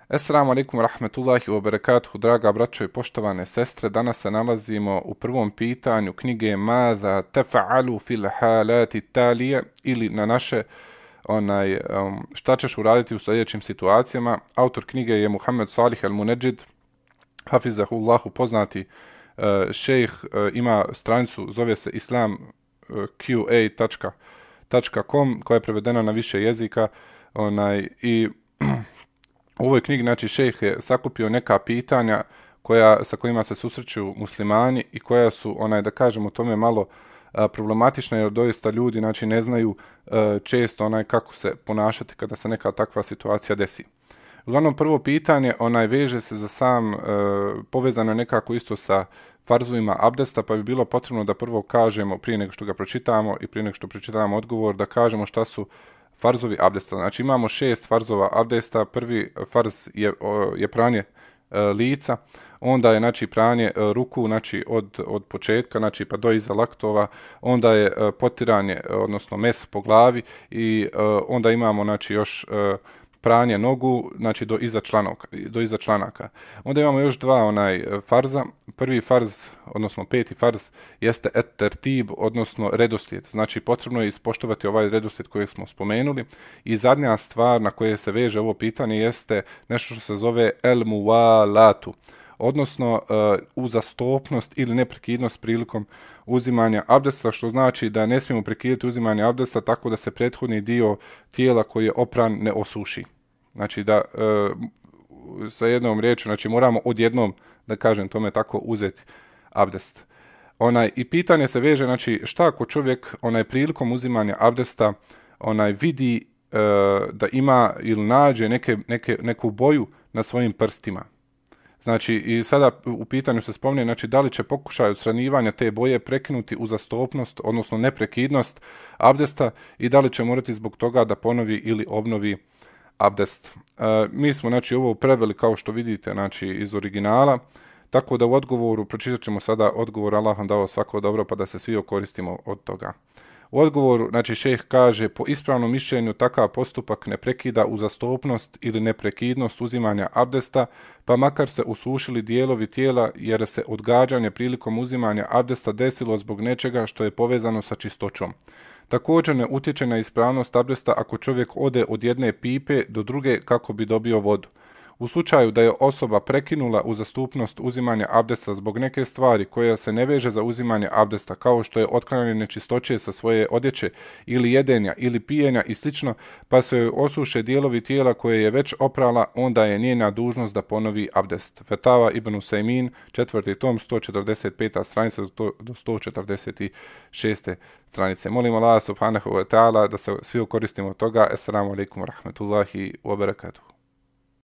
Assalamu alaikum rahmetullahi wa barakatuhu, draga braćo i poštovane sestre. Danas se nalazimo u prvom pitanju knjige Maza tefa'alu fil halati talije ili na naše šta ćeš uraditi u sljedećim situacijama. Autor knjige je Muhammed Salih al-Munedžid, hafizahullahu, poznati šejh, ima stranicu, zove se islamqa.com koja je prevedena na više jezika i u ovoj knjigi, znači, šejh je sakupio neka pitanja sa kojima se susreću muslimani i koja su, da kažemo, tome malo problematična, jer doista ljudi, znači, ne znaju često kako se ponašati kada se neka takva situacija desi. Uglavnom, prvo pitanje, veže se za sam, povezano je nekako isto sa farzovima abdesta, pa bi bilo potrebno da prvo kažemo, prije nego što ga pročitamo i prije nego što pročitamo odgovor, da kažemo šta su farzovi abdesta. Znači, imamo 6 farzova abdesta. Prvi farz je pranje lica, onda je, znači, pranje ruku, znači, od početka, znači, pa do iza laktova, onda je potiranje, odnosno mes po glavi i onda imamo, znači, još pranje nogu, znači, do iza članaka. Onda imamo još dva farza. Prvi farz, odnosno peti farz, jeste et-tertib, odnosno redoslijed. Znači, potrebno je ispoštovati ovaj redoslijed koji smo spomenuli. I zadnja stvar na koje se veže ovo pitanje jeste nešto što se zove el-muvalatu, odnosno uzastopnost ili neprekidnost prilikom uzimanja abdesta, što znači da ne smijemo prekidati uzimanje abdesta tako da se prethodni dio tijela koji je opran ne osuši. Znači da sa jednom riječju, znači moramo odjednom, da kažem tome tako, uzeti abdest. I pitanje se veže, znači, šta ako čovjek prilikom uzimanja abdesta vidi da ima ili nađe neku boju na svojim prstima. Znači, i sada u pitanju se spominje, znači, da li će pokušaj odstranjivanja te boje prekinuti uzastopnost, odnosno neprekidnost abdesta, i da li će morati zbog toga da ponovi ili obnovi abdest. Mi smo, znači, ovo preveli, kao što vidite, znači, iz originala, tako da u odgovoru, pročitat ćemo sada odgovor, Allah vam dao svako dobro, pa da se svi okoristimo od toga. U odgovoru, znači, šejh kaže, po ispravnom mišljenju takav postupak ne prekida uzastopnost ili neprekidnost uzimanja abdesta, pa makar se usušili dijelovi tijela, jer se odgađanje prilikom uzimanja abdesta desilo zbog nečega što je povezano sa čistoćom. Također ne utječe na ispravnost abdesta ako čovjek ode od jedne pipe do druge kako bi dobio vodu. U slučaju da je osoba prekinula uzastopnost uzimanja abdesta zbog neke stvari koja se ne veže za uzimanje abdesta, kao što je otklanjanje nečistoće sa svoje odjeće ili jedenja ili pijenja i slično, pa se joj osuše dijelovi tijela koje je već oprala, onda je njena dužnost da ponovi abdest. Fetava ibn Usajmin, 4. tom, 145. stranica do 146. stranice. Molim Allah subhanahu wa ta'ala da se svi koristimo od toga. Assalamu alaikum wa rahmetullahi wa barakatuh.